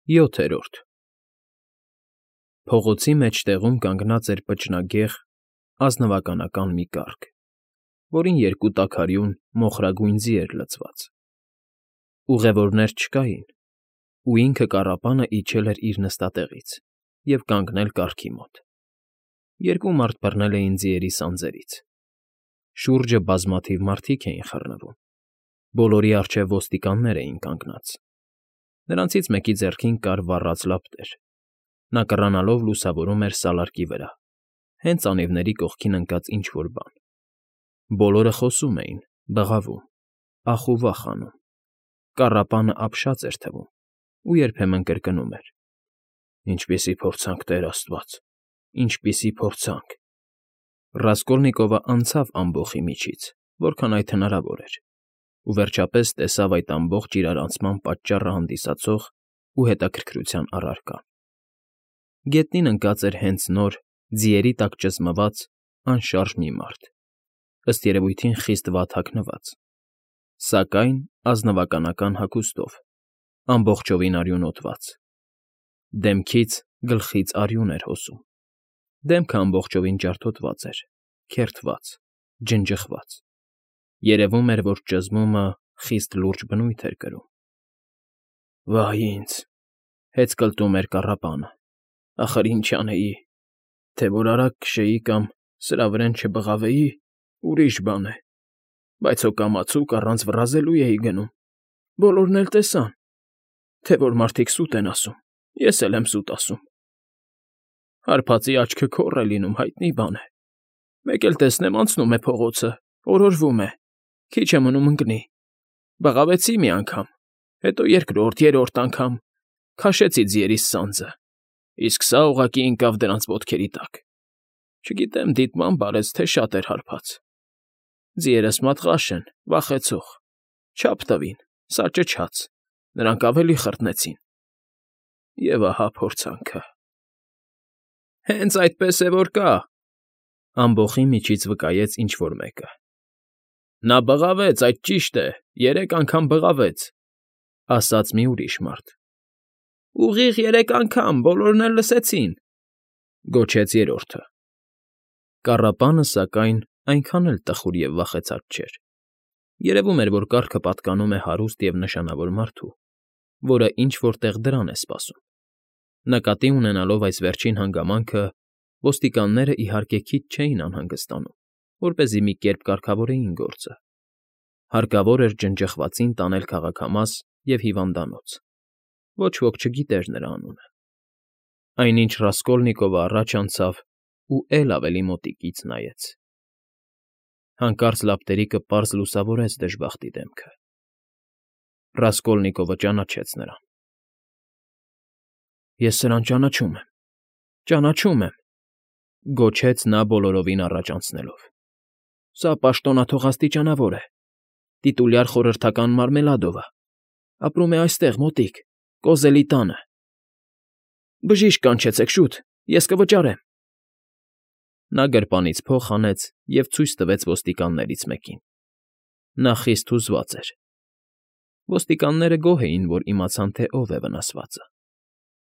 7-րդ Փողոցի մեջտեղում կանգնած էր պճնագեղ, ազնվականական մի կառք, որին երկու տաքարյուն մոխրագույն ձի էր լցված. ուղևորներ չկային, ու ինքը կառապանը իջել էր իր նստատեղից և կանգնել կառքի մոտ. երկու մարդ բռնել էին ձիերի սանձերից. շուրջը բազմաթիվ մարդիկ էին խռնվում, բոլորի առջև ոստիկաններ էին կանգնած. նրանցից մեկի ձեռքին կար վառած լապտեր, նա կռանալով լուսավորում էր սալարկի վրա, հենց անիվների կողքին ընկած ինչ֊որ բան. բոլորը խոսում էին, բղավում, ախ ու վախ անում, կառապանը ապշած էր թվում ու երբեմն կրկնում էր. «Ինչպիսի փորձանք, Տեր աստված, ինչպիսի փորձանք»։ Ռասկոլնիկովը անցավ ամբոխի միջից, որքան այդ հնարավոր էր, ու վերջապես տեսավ այդ ամբողջ իրարանցման պատճառը հանդիսացող ու հետաքրքրության առարկան. գետնին ընկած էր հենց նոր, ձիերի տակ ճզմված, անշարժ մի մարդ, ըստ երևույթին խիստ վատ հագնված, սակայն ազնվականական հագուստով, ամբողջովին արյունոտված. դեմքից, գլխից արյուն էր հոսում, դեմքը ամբողջովին ջարդոտված էր, քերթված, ջնջխված. երևում էր, որ ճզմումը խիստ լուրջ բնույթ էր կրում։ «Վայ ինձ,֊ հեծկլտում էր կառապանը,֊ ախր ինչ անեի, թե որ արագ քշեի կամ սրա վրեն չբղավեի, ուրիշ բան է, բայց հո կամացուկ առանց վռազելու էի գնում, բոլորն էլ տեսան, թե որ մարդիկ սուտ են ասում, ես էլ եմ սուտ ասում։ Հարբածի աչքը քոռ է լինում, հայտնի բան է, մեկ էլ տեսնեմ անցնում է փողոցը, օրորվում է, քիչ է մնում ընկնի, բղավեցի մի անգամ, հետո երկրորդ, երրորդ անգամ, քաշեցի ձիերիս սանձը, իսկ սա ուղղակի ընկավ դրանց ոտքերի տակ, չգիտեմ դիտմամբ արեց, թե շատ էր հարբած։ Ձիերս մատղաշ են, վախեցող, չափ տվին, սա ճչաց, նրանք ավելի խռտնեցին։ Եվ ահա փորձանքը»։ «Հենց այդպես է որ կա,֊ ամբոխի միջից վկայեց ինչ֊որ մեկը։ Նա բղավեց, այդ ճիշտ է, 3 անգամ բղավեց,֊ ասաց մի ուրիշ մարդ։ Ուղիղ 3 անգամ, բոլորն էլ լսեցին,֊ գոչեց երրորդը։ Կառապանը, սակայն, այնքան էլ տխուր և վախեցած չէր. երևում էր, որ կառքը պատկանում է հարուստ և նշանավոր մարդու, որը ինչ֊որ տեղ դրան է սպասում։ Նկատի ունենալով այս վերջին հանգամանքը, ոստիկանները, իհարկե, քիչ չէին անհանգստանում, որպեսզի մի կերպ կարգավորեին գործը. հարկավոր էր ջնջխվածին տանել քաղաքամաս և հիվանդանոց. ոչ ոք չգիտեր նրա անունը։ Այնինչ Ռասկոլնիկովը առաջ անցավ ու էլ ավելի մոտիկից նայեց. հանկարծ լապտերիկը պարզ լուսավորեց դժբախտի դեմքը։ Ռասկոլնիկովը ճանաչեց նրան։ «Ես սրան ճանաչում եմ, ճանաչում եմ,֊ գոչեց նա բոլորովին առաջ անցնելով։ Սա պաշտոնաթող աստիճանավոր է, տիտուլյար խորհրդական Մարմելադովը, ապրում է այստեղ մոտիկ, Կոզելի տանը։ Բժիշկ կանչեցեք, շուտ, ես կվճարեմ»։ Նա գրպանից փող հանեց և ցույց տվեց ոստիկաններից մեկին։ Նա խիստ հուզված էր։ Ոստիկանները գոհ էին, որ իմացան, թե ով է վնասվածը։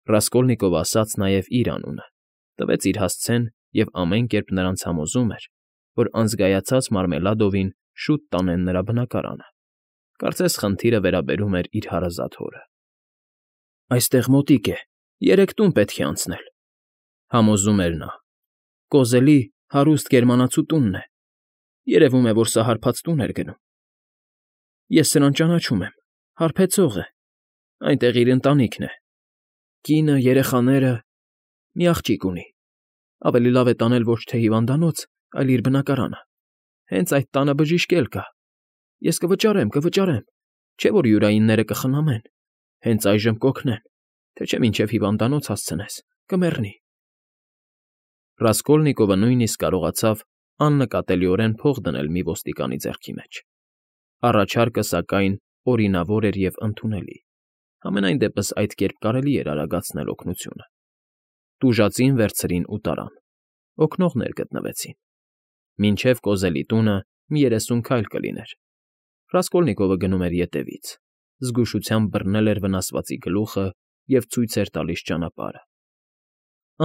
Ռասկոլնիկովը ասաց նաև իր անունը, տվեց իր հասցեն և ամեն կերպ նրանց համոզում էր, որ անզգայացած Մարմելադովին շուտ տանեն նրա բնակարանը, կարծես խնդիրը վերաբերում էր իր հարազատ հորը։ «Այստեղ մոտիկ է, 3 տուն պետք է անցնել,֊ համոզում էր նա։ Կոզելի հարուստ գերմանացու տունն է, երևում է, որ սա հարբած տուն էր գնում։ Ես սրան ճանաչում եմ, հարբեցող է, այնտեղ իր ընտանիքն է, կինը, երեխաները, մի աղջիկ ունի, ավելի լավ է տանել ոչ թե հիվանդանոց, այլ իր բնակարանը, հենց այդ տանը բժիշկ էլ կա, ես կվճարեմ, չէ՞ որ յուրայինները կխնամեն, հենց այժմ կօգնեն, թե չէ մինչև հիվանդանոց հասցնես, կմեռնի»։ Ռասկոլնիկովը նույնիսկ կարողացավ աննկատելիորեն փող դնել մի ոստիկանի ձեռքի մեջ։ Առաջարկը, սակայն, օրինավոր էր և ընդունելի, համենայն դեպս այդ կերպ կարելի էր արագացնել օգնությունը։ Տուժածին վերցրին ու տարան, օգնողներ գտնվեցին։ Մինչև Կոզելի տունը մի 30 քայլ կլիներ։ Ռասկոլնիկովը գնում էր ետևից, զգուշությամբ բռնել էր վնասվածի գլուխը և ցույց էր տալիս ճանապարհը։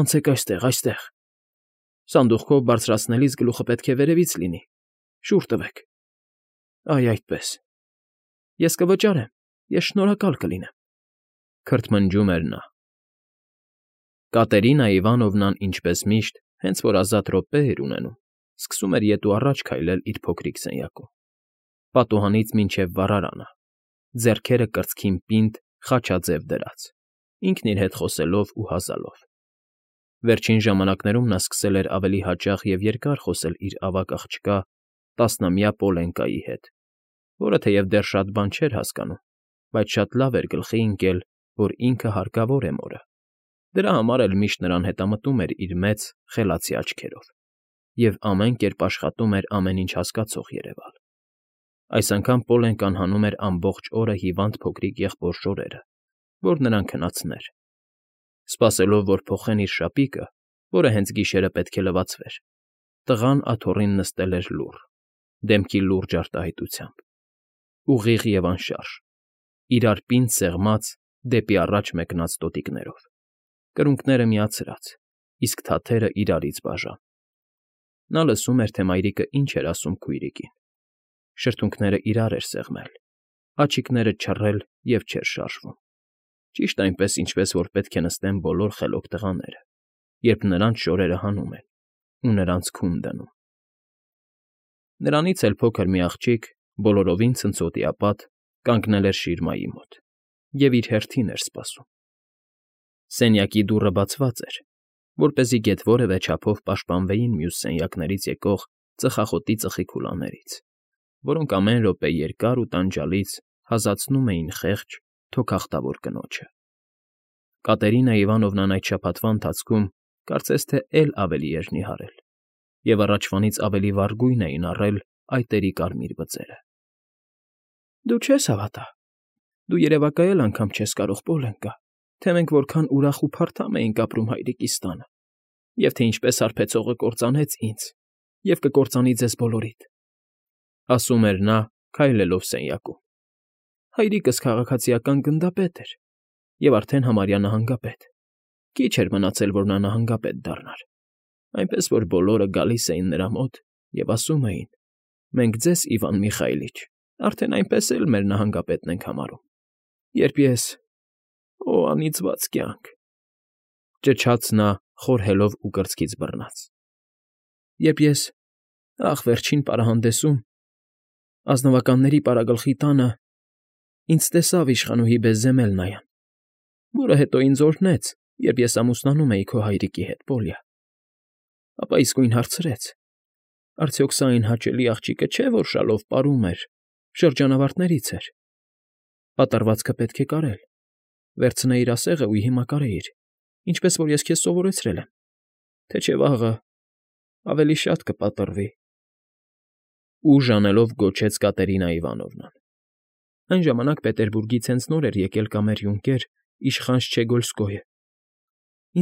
Անցեք այստեղ, այստեղ։ Սանդուղքով բարձրացնելիս գլուխը պետք է վերևից լինի։ Շուռ տվեք։ Այ այդպես։ Ես կվճարեմ, ես շնորհակալ կլինեմ, քրթմնջում էր նա։ Կատերինա Իվանովնան, ինչպես միշտ, հենց որ ազատ րոպե էր ունենում, սկսում էր ետ ու առաջ քայլել իր փոքրիկ սենյակում, պատուհանից մինչև վառարանը, ձեռքերը կրծքին պինդ, խաչաձև դրած, ինքն իր հետ խոսելով ու հազալով։ Վերջին ժամանակներում նա սկսել էր ավելի հաճախ և երկար խոսել իր ավագ աղջկա, 10-ամյա Պոլենկայի հետ, որը թեև դեռ շատ բան չէր հասկանում, բայց շատ լավ էր գլխի ընկել, որ ինքը հարկավոր է մորը, դրա համար էլ միշտ նրան հետամտում էր իր մեծ, խելացի աչքերով և ամեն կերպ աշխատում էր ամեն ինչ հասկացող երևալ։ Այս անգամ Պոլենկան հանում էր ամբողջ օրը հիվանդ փոքրիկ եղբոր շորերը, որ նրան քնացներ։ Սպասելով, որ փոխեն իր շապիկը, որը հենց գիշերը պետք է լվացվեր, տղան աթոռին նստել էր լուռ, դեմքի լուրջ արտահայտությամբ, ուղիղ և անշարժ, իրար պինդ սեղմած, դեպի առաջ մեկնած տոտիկներով, կրունկները միացրած, իսկ թաթերը իրարից բաժան։ Նա լսում էր, թե մայրիկը ինչ էր ասում քույրիկին, շրթունքները իրար էր սեղմել, աջիկները չռել և չէր շարժվում, ճիշտ այնպես, ինչպես որ պետք է նստեն բոլոր խելոք տղաները, երբ նրանց շորերը հանում են ու նրանց քուն դնում։ Նրանից էլ փոքր մի աղջիկ, բոլորովին ցնցոտիապատ, կանգնել էր շիրմայի մոտ և իր հերթին էր սպասում։ Սենյակի դուռը բացված էր, որպեսզի գեթ որևէ չափով պաշտպանվեին մյուս սենյակներից եկող ծխախոտի ծխիքուլաներից, որոնք ամեն րոպե երկար ու տանջալից հազացնում էին խեղճ, թոքախտավոր կնոջը։ Կատերինա Իվանովնան այդ շաբաթվա ընթացքում կարծես թե էլ ավելի էր նիհարել, և առաջվանից ավելի վառ գույն էին առել այտերի կարմիր բծերը։ Դու չես հավատա, դու երևակայել անգամ չես կարող, Պոլենկա, թե մենք որքան ուրախ ու փարթամ էինք ապրում հայրիկիս տանը, և թե ինչպես հարբեցողը կործանեց ինձ և կկործանի ձեզ բոլորիդ, ասում էր նա, քայլելով սենյակում։ Հայրիկս քաղաքացիական գնդապետ էր և արդեն համարյա նահանգապետ։ Քիչ էր մնացել, որ նա նահանգապետ դառնար, այնպես որ բոլորը գալիս էին նրա մոտ և ասում էին. «Մենք ձեզ, Իվան Միխայիլիչ, արդեն այնպես էլ մեր նահանգապետն ենք համարում»։ Երբ ես… Օ, անիծված կյանք…֊ ճչաց նա, խորհելով ու կրծքից բռնած։ Երբ ես… ախ, վերջին պարահանդեսում, ազնվականների պարագլխի տանը, ինձ տեսավ իշխանուհի Բեզեմելնայան, որը հետո ինձ օրհնեց, երբ ես ամուսնանում էի քո հայրիկի հետ, Պոլյա, ապա իսկույն հարցրեց. արդյոք սա այն հաճելի աղջիկը չէ, որ շալով պարում էր, շրջանավարտներից էր… Պատառվածքը պետք է կարել, վերցնեիր ասեղը ու հիմա կարեիր, ինչպես որ ես քեզ սովորեցրել եմ, թե չէ վաղը ավելի շատ կպատռվի… Ուժ անելով գոչեց Կատերինա Իվանովնան։ Այն ժամանակ Պետերբուրգից հենց նոր էր եկել կամեր֊յունկեր իշխան Շչեգոլսկոյը,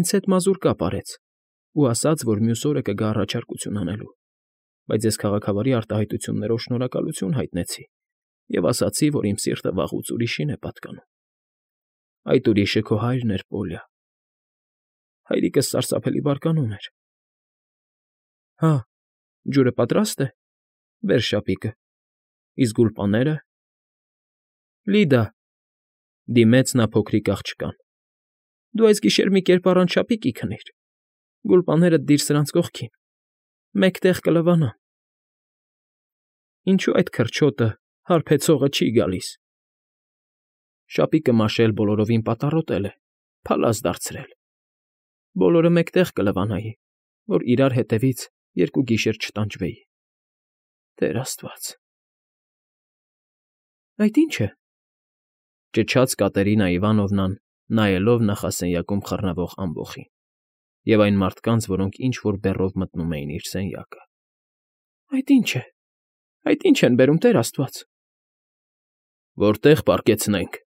ինձ հետ մազուր կապ արեց ու ասաց, որ մյուս օրը կգա առաջարկություն անելու, բայց ես քաղաքավարի արտահայտություններով շնորհակալություն հայտնեցի և ասացի, որ իմ սիրտը վաղուց ուրիշին է պատկանում։ Այդ ուրիշը քո հայրն էր, Պոլյա։ Հայրիկս սարսափելի բարկանում էր։ Հա, ջուրը պատրա՞ստ է, բեր շապիկը, իսկ գուլպաները… Լիդա, դիմեց նա փոքրիկ աղջկան, դու այս գիշեր մի կերպ առանց շապիկի քնիր, գուլպաներդ դիր սրանց կողքին, մեկ տեղ կլվանան… Ինչո՞ւ այդ քրչոտը, հարբեցողը չի գալիս… Շապիկը մաշել բոլորովին պատառոտել է, փալած դարձրել… Բոլորը մեկտեղ կլվանայի, որ իրար հետևից երկու գիշեր չտանջվեի… Տեր աստված… Այդ ի՞նչ է,֊ ճչաց Կատերինա Իվանովնան, նայելով նախասենյակում խռնվող ամբոխին և այն մարդկանց, որոնք ինչ֊որ բեռով մտնում էին իր սենյակը։ Այդ ի՞նչ է… Այդ ի՞նչ են բերում, Տեր աստված… Որտե՞ղ պառկեցնենք,֊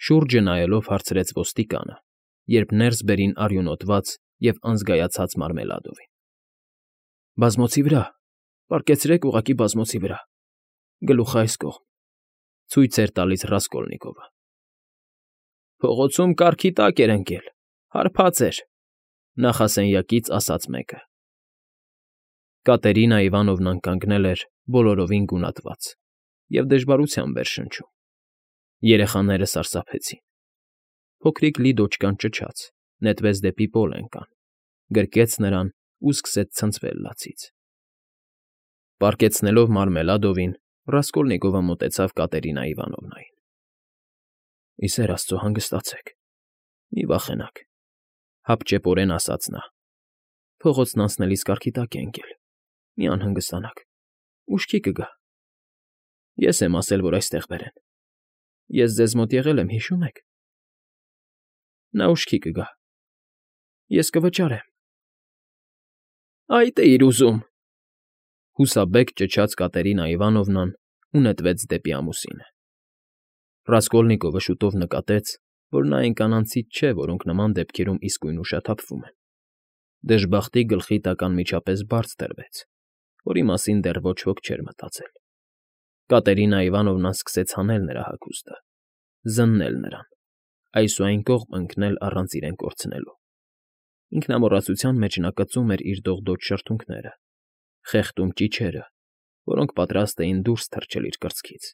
շուրջը նայելով հարցրեց ոստիկանը, երբ ներս բերին արյունոտված և անզգայացած Մարմելադովին։ Բազմոցի վրա, պառկեցրեք ուղղակի բազմոցի վրա, գլուխը այս կողմ,֊ ցույց էր տալիս Ռասկոլնիկովը։ Փողոցում կառքի տակ էր ընկել, հարբած էր,֊ նախասենյակից ասաց մեկը։ Կատերինա Իվանովնան կանգնել էր բոլորովին գունատված և դժվարությամբ էր շնչում։ Երեխաները սարսափեցին։ Փոքրիկ Լիդոչկան ճչաց, նետվեց դեպի Պոլենկան, գրկեց նրան ու սկսեց ցնցվել լացից։ Պառկեցնելով Մարմելադովին, Ռասկոլնիկովը մոտեցավ Կատերինա Իվանովնային։ ֊ Ի սեր աստծո, հանգստացեք, մի վախենաք,֊ հապճեպորեն ասաց նա։ Փողոցն անցնելիս կառքի տակ է ընկել, մի անհանգստանաք, ուշքի կգա։ Ես եմ ասել, որ այստեղ բերեն։ Ես ձեզ մոտ եղել եմ, հիշո՞ւմ եք։ Նա ուշքի կգա։ Ես կվճարեմ։ Այդ էիր ուզում,֊ հուսաբեկ ճչաց Կատերինա Իվանովնան ու նետվեց դեպի ամուսինը։ Ռասկոլնիկովը շուտով նկատեց, որ նա այն կանանցից չէ, որոնք նման դեպքերում իսկույն ուշաթափվում են։ Դժբախտի գլխի տակ անմիջապես բարձ դրվեց, որի մասին դեռ ոչ ոք չէր մտածել։ Կատերինա Իվանովնան սկսեց հանել նրա հագուստը, զննել նրան, այսուայն կողմ ընկնել առանց իրեն կորցնելու։ Ինքնամոռացության մեջ նա կծում էր իր դողդոջ շրթունքները, խեղդում ճիչերը, որոնք պատրաստ էին դուրս թռչել իր կրծքից։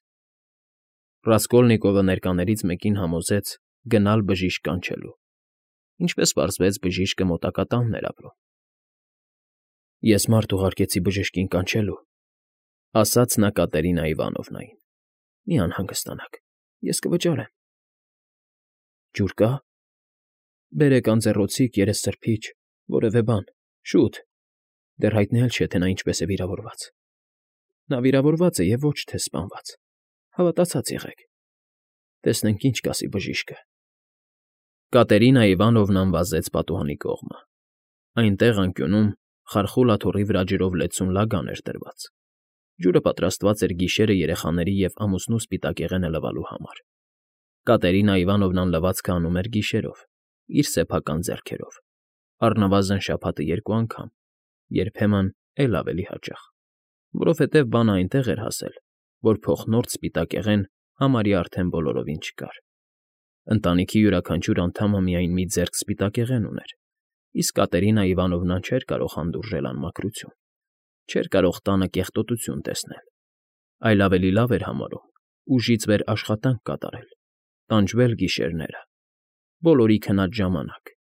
Ռասկոլնիկովը ներկաներից մեկին համոզեց գնալ բժիշկ կանչելու։ Ինչպես պարզվեց, բժիշկը մոտակա տանն էր ապրում։ Ես մարդ ուղարկեցի բժշկին կանչելու,֊ ասաց նա Կատերինա Իվանովնային։ Մի անհանգստանաք, ես կվճարեմ։ Ջուր կա։ Բերեք անձեռոցիկ, երեսսրբիչ, որևէ բան, շուտ։ Դեռ հայտնի չէ, թե նա ինչպես է վիրավորված։ Նա վիրավորված է և ոչ թե սպանված։ Հավատացած եղեք։ Տեսնենք ինչ կասի բժիշկը։ Կատերինա Իվանովնան վազեց պատուհանի կողմը։ Այնտեղ անկյունում խարխուլ աթոռի վրա ջրով լեցուն լագան էր դրված։ Ջուրը պատրաստված էր գիշերը երեխաների և ամուսնու սպիտակեղենը լվալու համար։ Կատերինա Իվանովնան լվացքը անում էր գիշերով, իր սեփական ձեռքերով, առնվազն շաբաթը 2 անգամ, երբեմն էլ ավելի հաճախ, որովհետև բանը այնտեղ էր հասել, որ փոխնորդ սպիտակեղեն համարյա արդեն բոլորովին չկար։ Ընտանիքի յուրաքանչյուր անդամը միայն մի ձեռք սպիտակեղեն ուներ, իսկ Կատերինա Իվանովնան չէր կարող հանդուրժել անմաքրություն, չէր կարող տանը կեղտոտություն տեսնել, այլ ավելի լավ էր համարում ուժից վեր աշխատանք կատարել, տանջվել գիշերները, բոլորի քնած ժամանակ,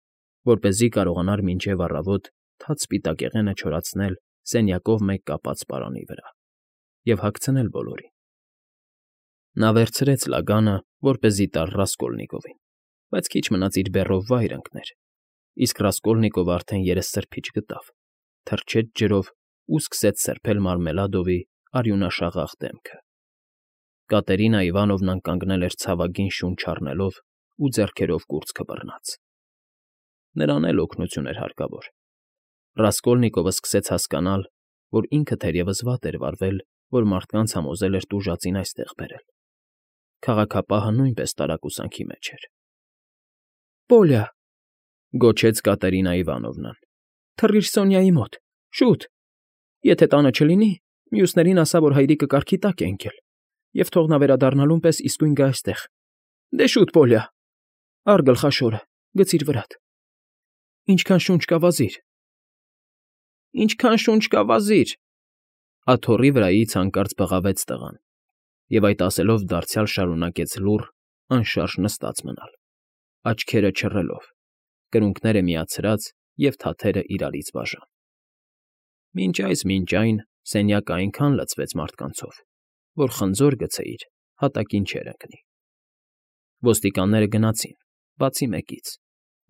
որպեսզի կարողանար մինչև առավոտ թաց սպիտակեղենը չորացնել սենյակով մեկ կապած պարանի վրա և հագցնել բոլորին։ Նա վերցրեց լագանը, որպեսզի տար Ռասկոլնիկովին, բայց քիչ մնաց իր բեռով վայր ընկներ, իսկ Ռասկոլնիկովը արդեն երեսսրբիչ գտավ, թռչեց ջրով ու սկսեց սրբել Մարմելադովի արյունաշաղախ դեմքը։ Կատերինա Իվանովնան կանգնել էր ցավագին շունչ առնելով ու ձեռքերով կուրծքը բռնած։ Նրան էլ օգնություն էր հարկավոր։ Ռասկոլնիկովը սկսեց հասկանալ, որ ինքը թերևս վատ էր վարվել, որ մարդկանց համոզել էր տուժածին այստեղ բերել։ Քաղաքապահը նույնպես տարակուսանքի մեջ էր։ Պոլյա,֊ գոչեց Կատերինա Իվանովնան,֊ թռիր Սոնյայի մոտ, շուտ։ Եթե տանը չլինի, մյուսներին ասա, որ հայրիկը կառքի տակ է ընկել, և թող նա վերադառնալուն պես իսկույն գա այստեղ։ Դե շուտ, Պոլյա, առ գլխաշորը, գցիր վրադ։ Ինչքան շունչ կա վազիր։ Ինչքան շունչ կա վազիր,֊ աթոռի վրայից հանկարծ բղավեց տղան, և այդ ասելով դարձյալ շարունակեց լուռ, անշարժ նստած մնալ, աչքերը չռելով, կրունկները միացրած և թաթերը իրարից բաժան։ Մինչ այն սենյակը այնքան լցվեց մարդկանցով, որ խնձոր գցեիր, հատակին չէր ընկնի։ Ոստիկանները գնացին, բացի մեկից,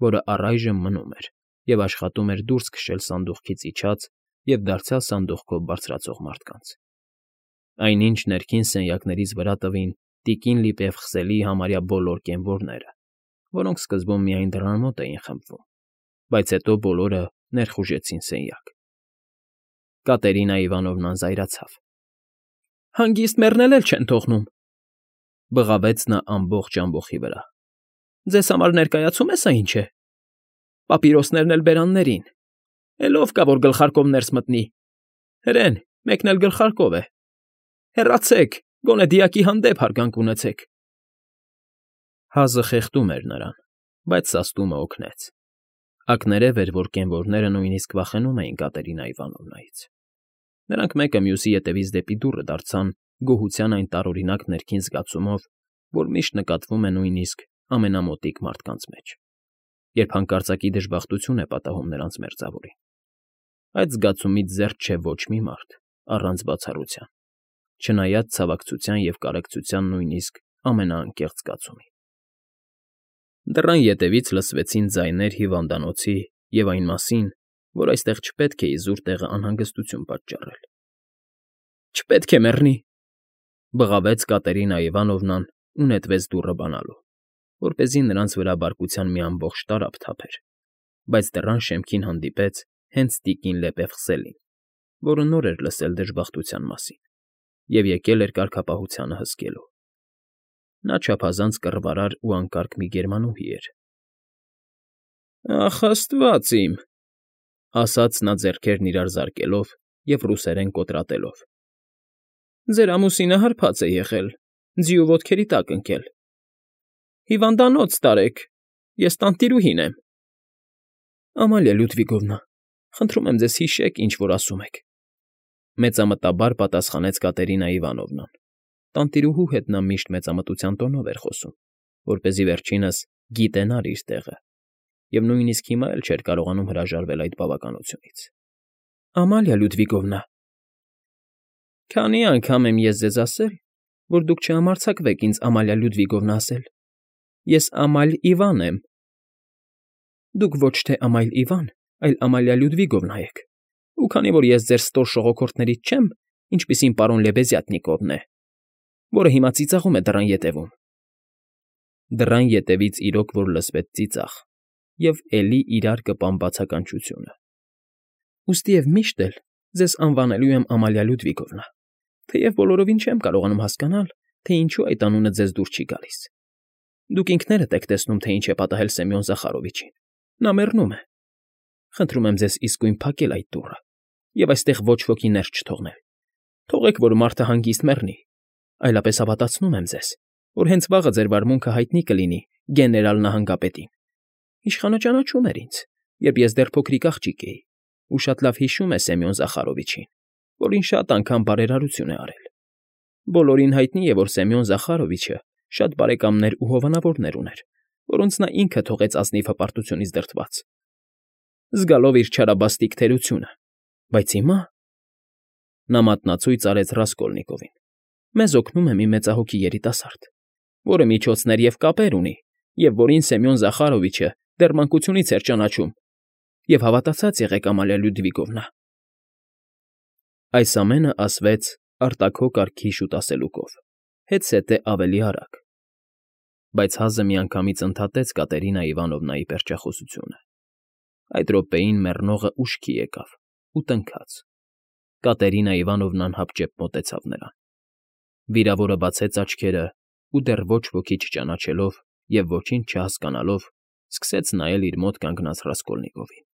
որը առայժմ մնում էր և աշխատում էր դուրս քշել սանդուղքից իջած և դարձյալ սանդուղքով բարձրացող մարդկանց։ Այնինչ ներքին սենյակներից վրա տվին տիկին լիպևխսելի համարյա բոլոր կենվորները, որոնք սկզբում միայն դռան մոտ էին խմբվում, բայց հետո բոլորը ներխուժեցին սենյակ։ Կատերինա Իվանովնան զայրացավ։ Հանգիստ մեռնել էլ չեն թողնում,֊ բղավեց նա ամբողջ ամբոխի վրա։ Ձեզ համար ներկայացում է սա ինչ է։ Պապիրոսներն էլ բերաններին, էլ ով կա, որ գլխարկով ներս մտնի։ Հրեն, մեկն էլ գլխարկով է։ Հեռացեք, գոնե դիակի հանդեպ հարգանք ունեցեք։ Հազը խեղդում էր նրան, բայց սաստումը օգնեց. ակներև էր, որ կենվորները նույնիսկ վախենում էին Կատերինա Իվանովնայից։ Նրանք մեկը մյուսի ետևից դեպի դուռը դարձան գոհության այն տարօրինակ ներքին զգացումով, որ միշտ նկատվում է նույնիսկ ամենամոտիկ մարդկանց մեջ, երբ հանկարծակի դժբախտություն է պատահում նրանց մերձավորին։ Այդ զգացումից զերծ չէ ոչ մի մարդ, առանց բացառության, չնայած ցավակցության և կարեկցության նույնիսկ ամենաանկեղծ զգացումի։ Դռան ետևից լսվեցին ձայներ հիվանդանոցի և այն մասին, որ այստեղ չպետք է իզուր տեղը անհանգստություն պատճառել։ Չպետք է մեռնի, բղավեց Կատերինա Իվանովնան ու նետվեց դուռը բանալու, որպեսզի նրանց վրա բարկության մի ամբողջ տարափ թափեր, բայց դռան շեմքին հանդիպեց հենց տիկին Լեպևսելին, որը նոր էր լսել դժբախտության մասին և եկել էր կարգապահությանը հսկելու։ Նա չափազանց կռվարար ու անկարգ մի գերմանուհի էր։ «Ախ, աստված իմ,֊ ասաց նա ձեռքերն իրար զարկելով և ռուսերեն կոտրատելով,֊ ձեր ամուսինը հարբած է եղել, ձիու ոտքերի տակ ընկել։ Հիվանդանոց տարեք, ես տանտիրուհին եմ»։ Ամալիա Լյուդվիգովնա, խնդրում եմ ձեզ հիշեք, ինչ որ ասում եք,֊ մեծամտաբար պատասխանեց Կատերինա Իվանովնան։ Տանտիրուհու հետ նա միշտ մեծամտության տոնով էր խոսում, որպեսզի վերջինս գիտենար իր տեղը, և նույնիսկ հիմա էլ չէր կարողանում հրաժարվել այդ բավականությունից։ Ամալիա Լյուդվիգովնա, քանի՞ անգամ եմ ես ձեզ ասել, որ դուք չհամարձակվեք ինձ Ամալիա Լյուդվիգովնա ասել։ Ես Ամալ Իվան եմ։ Դուք ոչ թե Ամայլ Իվան, այլ Ամալիա Լյուդվիգովնա եք, ու քանի որ ես ձեր ստոր շողոքորթներից չեմ, ինչպիսին պարոն Լեբեզյատնիկովն է, որը հիմա ծիծաղում է դռան ետևում… Դռան ետևից իրոք որ լսվեց ծիծաղ և էլի իրար կպան բացականչությունը։ Ուստիև միշտ էլ ձեզ անվանելու եմ Ամալիա Լյուդվիգովնա, թեև բոլորովին չեմ կարողանում հասկանալ, թե ինչու այդ անունը ձեզ դուր չի գալիս։ Դուք ինքներդ եք տեսնում, թե ինչ է պատահել Սեմյոն Զախարովիչին։ Նա մեռնում է։ Խնդրում եմ ձեզ իսկույն փակել այդ դուռը և այստեղ ոչ ոքի ներս չթողնել։ Թողեք, որ մարդը հանգիստ մեռնի, այլապես հավատացնում եմ ձեզ, որ հենց վաղը ձեր վարմունքը հայտնի կլինի գեներալ նահանգապետին։ Իշխանը ճանաչում էր ինձ, երբ ես դեռ փոքրիկ աղջիկ էի, ու շատ լավ հիշում է Սեմյոն Զախարովիչին, որին շատ անգամ բարերարություն է արել։ Բոլորին հայտնի է, որ Սեմյոն Զախարովիչը շատ բարեկամներ ու հովանավորներ ուներ, որոնց նա ինքը թողեց ազնիվ հպարտությունից դրդված, զգալով իր չարաբաստիկ թերությունը։ Բայց հիմա… Նա մատնացույց արեց Ռասկոլնիկովին։ Մեզ օգնում է մի մեծահոգի երիտասարդ, որը միջոցներ և կապեր ունի, և որին Սեմյոն Զախարովիչը դեռ մանկությունից էր ճանաչում, և հավատացած եղեք, Ամալիա Լյուդվիգովնա։ Այս ամենը ասվեց արտաքո կարգի շուտասելուկով, հետզհետե ավելի արագ, բայց հազը միանգամից ընդհատեց Կատերինա Իվանովնայի պերճախոսությունը։ Այդ րոպեին մեռնողը ուշքի եկավ ու տնքաց։ Կատերինա Իվանովնան հապճեպ մոտեցավ նրան։ Վիրավորը բացեց աչքերը ու դեռ ոչ ոքի չճանաչելով և ոչինչ չհասկանալով, սկսեց նայել իր մոտ կանգնած Ռասկոլնիկովին։